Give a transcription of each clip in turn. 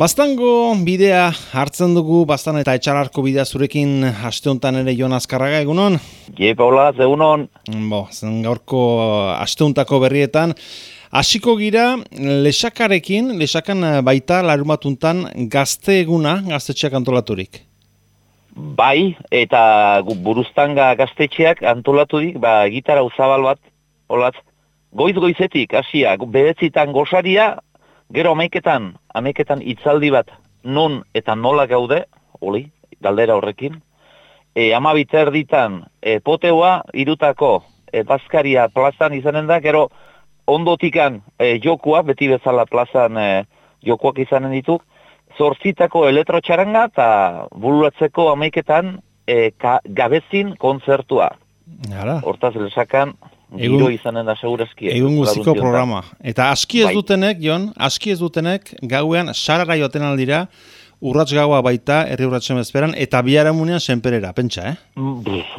Baztango bidea hartzen dugu, Baztan eta Etxalarko bidea zurekin aste honetan ere Jon Azkarraga, egunon? Paula, egunon. Zen gaurko aste honetako berrietan. Hasiko gira Lexakan baita larumatuntan gazte eguna, gaztetxeak antolaturik. Bai, eta Buruztanga gaztetxeak antolaturik, gitara uzabal bat, olatz, goiz-goizetik, hasia, behetzitan gosaria, gero ameiketan itzaldi bat non eta nola gaude, galdera horrekin. 12 erditan poteoa, irutako bazkaria plazan izanen da, gero ondotikan jokua, beti bezala plazan jokuak izanen dituk, 8 elektrotxaranga eta bururatzeko 11 gabezin kontzertua. Hortaz Lexakan giro izanen da segurazki. Egun guztiko programa. Eta aski ez dutenek, Jon, aski ez dutenek, gauean sarara joaten aldira, urrats gaua baita, herri urratsen bezperan, eta biharamunean senperera, pentsa,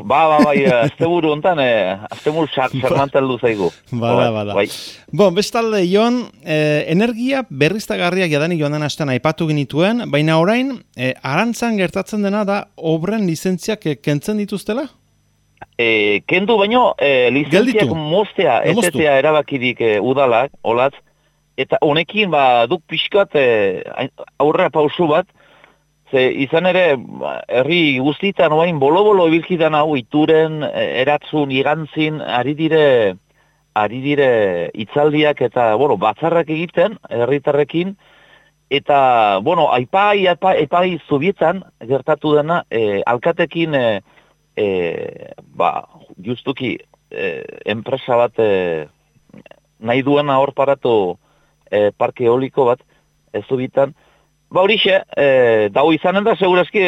Bai, asteburu hontan, asteburu sarmanteldu zaigu. Bada. Bestalde, Jon, energia berriztagarriak jadanik joan den astean aipatu genituen, baina orain, Arantzan gertatzen dena da, obren lizentziak kentzen dituztela? Kendu baino, lizentziak moztea, ezetea erabakirik udalak, olatz, eta honekin duk pixkat aurrera pausu bat, ze izan ere, herri guztitan oain bolo-bolo ibilkidan hau, Ituren, Eratzun, Igantzin, ari dire itzaldiak eta, batzarrak egiten, herritarrekin, eta, aipai zubietan gertatu dena, alkatekin, justuki enpresa bat nahi duena hor paratu parke eoliko bat ez dubitan. Horixe, dau izanen da, segurazki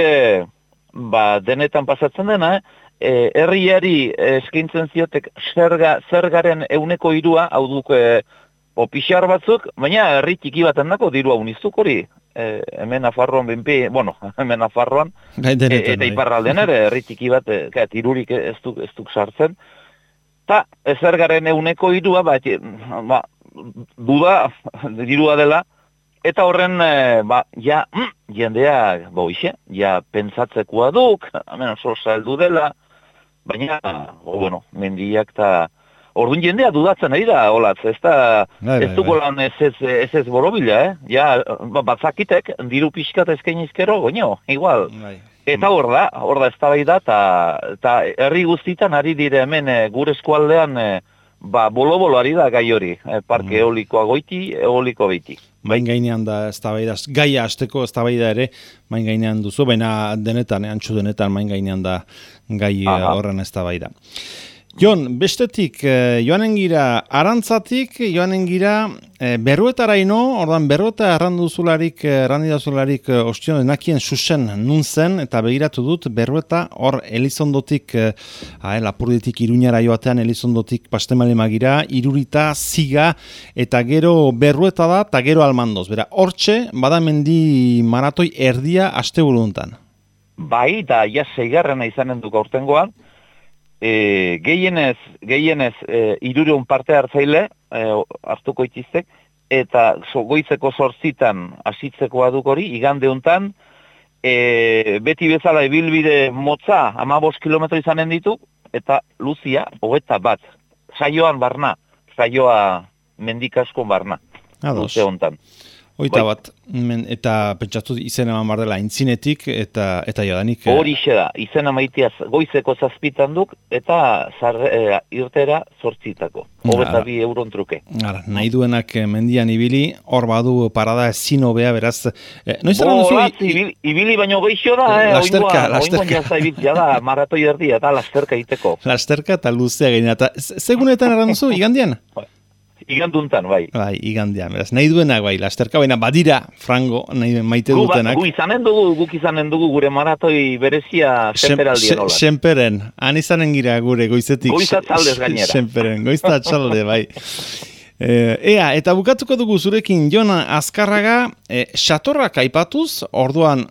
denetan pasatzen dena, herriari eskaintzen ziotek zergaren 1/3, hau duk pixar batzuk, baina herri txiki baten dako dirua unizuk hori. Hemen Nafarroan hemen Nafarroan, eta iparraldean ere, herri txiki bat, tirurik ez duk sartzen. Ta, zergaren 1/3, duda, dirua dela, eta horren, jendea, pentsatzekoa duk, hemen oso saldu dela, baina, mendiak eta... Orduan jendea dudatzen ari da, olatz, ez duko lan ez borobila, batzakitek, diru pixkat eskainizkero, igual. Eta hor da eztabaida, eta herri guztitan ari dire hemen gure eskualdean, bolo-bolo ari da gai hori, parke eolikoa goiti, eoliko beiti. Main gainean da eztabaida, gaia hasteko eztabaida ere, main gainean duzu, baina denetan, antxu denetan, main gainean da gai horren eztabaida. Jon, bestetik, joanen gira Arantzatik, joanen gira Berruetaraino, ordan Berrueta errandidazularik ostion denakien susen nun zen, eta begiratu dut Berrueta hor Elizondotik, Lapurditik Iruñara joatean Elizondotik Pastemale-Magira, Irurita, Ziga, eta gero Berrueta da, eta gero Almandoz. Bera, hortxe, badamendi maratoi erdia asteburu hontan. Bai, da, 6. izanen duk aurtengoan, gehienez 300 parte hartzaile hartuko itiztek, eta goizeko 8 hasitzekoa duk hori, igande hontan, beti bezala ibilbide motza 15 kilometro izanen ditu, eta luzia 21, saioa mendikaskon barna, luze hontan. 21, eta pentsatu izen eman bar dela intzinetik eta jadanik... Horixe da, izen amaitia goizeko 7 duk, eta irtera 8. 22 euron truke. Nahi duenak mendian ibili, hor badu parada ezin hobea, beraz... Ibili baino geixo da, lasterka. Oingoan jazta ibiltzea da, maratoi erdia, eta lasterka iteko. Lasterka eta luzea gaina, eta segunetan erran duzu, igandian? Iganduntan, bai. Bai, igandian, beraz, nahi duenak, bai, lasterka, baina badira, frango, nahi maite dutenak. Guk izanen dugu gure maratoi berezia senperaldian hola. Senperen, han izanen gira gure goizetik. Goizat txaldez gainera. Senperen, goizat txalde, bai. Eta bukatuko dugu zurekin, Jon Azkarraga, satorrak aipatuz, orduan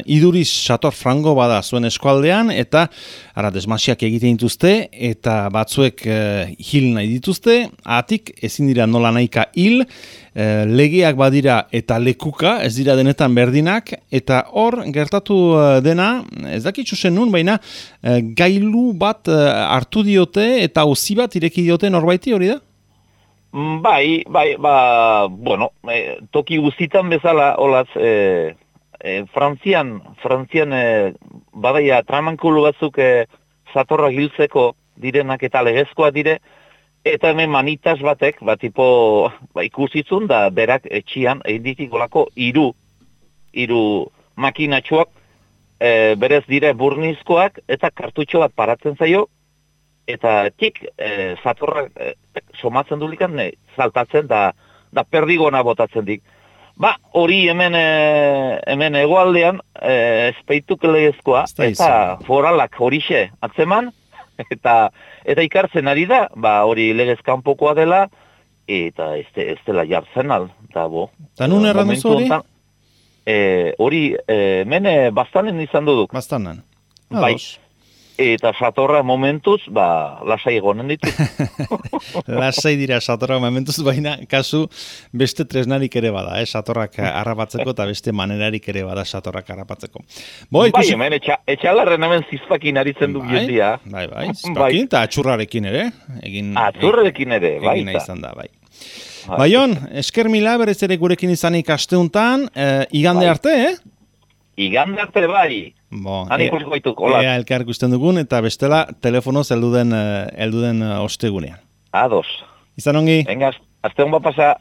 iduriz sator frango bada zuen eskualdean, eta ara desmasiak egiten dituzte, eta batzuek hil nahi dituzte, atik ezin dira nola nahika hil, legeak badira eta lekuka, ez dira denetan berdinak, eta hor gertatu dena, ez dakitzu zen nun, baina gailu bat hartu diote eta auzi bat ireki diote norbaiti hori da? Bai, bueno, toki guztitan bezala, olaz, Frantzian badaia tramankulu batzuk zatorra hiltzeko direnak eta legezkoa dire, eta hemen manitas batek, tipo, ikusitzun da berak etxian einditik olako hiru makinatxoak berez dire burnizkoak eta kartutxo bat paratzen zaio, eta zatorrak somatzen dulikan, saltatzen da perdigona botatzen dik. Hori hemen hegoaldean espeituk legezkoa, eta foralak horixe atzeman, eta ikartzen ari da, hori legez kanpokoa dela, eta ez dela jartzen al. Ta nun erran duzu hori? Hori, hemen bastanen izan duduk. Bastanen. Bai. Eta satorra momentuz, lasai egonen ditu. Lasai dira satorra momentuz, baina kasu beste tresnarik ere bada, satorrak harrapatzeko eta beste manerarik ere bada satorrak harrapatzeko. Bai, hemen etxalarren hemen zizpakin aritzen du jendia. Bai, zizpakin eta atxurrarekin ere. Atxurrarekin ere, bai. Egin izan da, bai. Jon, esker mila berez ere gurekin izanik asteuntan, igande arte, Igande arte bai. Han ikusiko gaituk, hola. Elkar ikusten dugun, eta bestela telefonoz helduden ostegunean. Ados. Izan ongi. Venga, asteun bat pasa.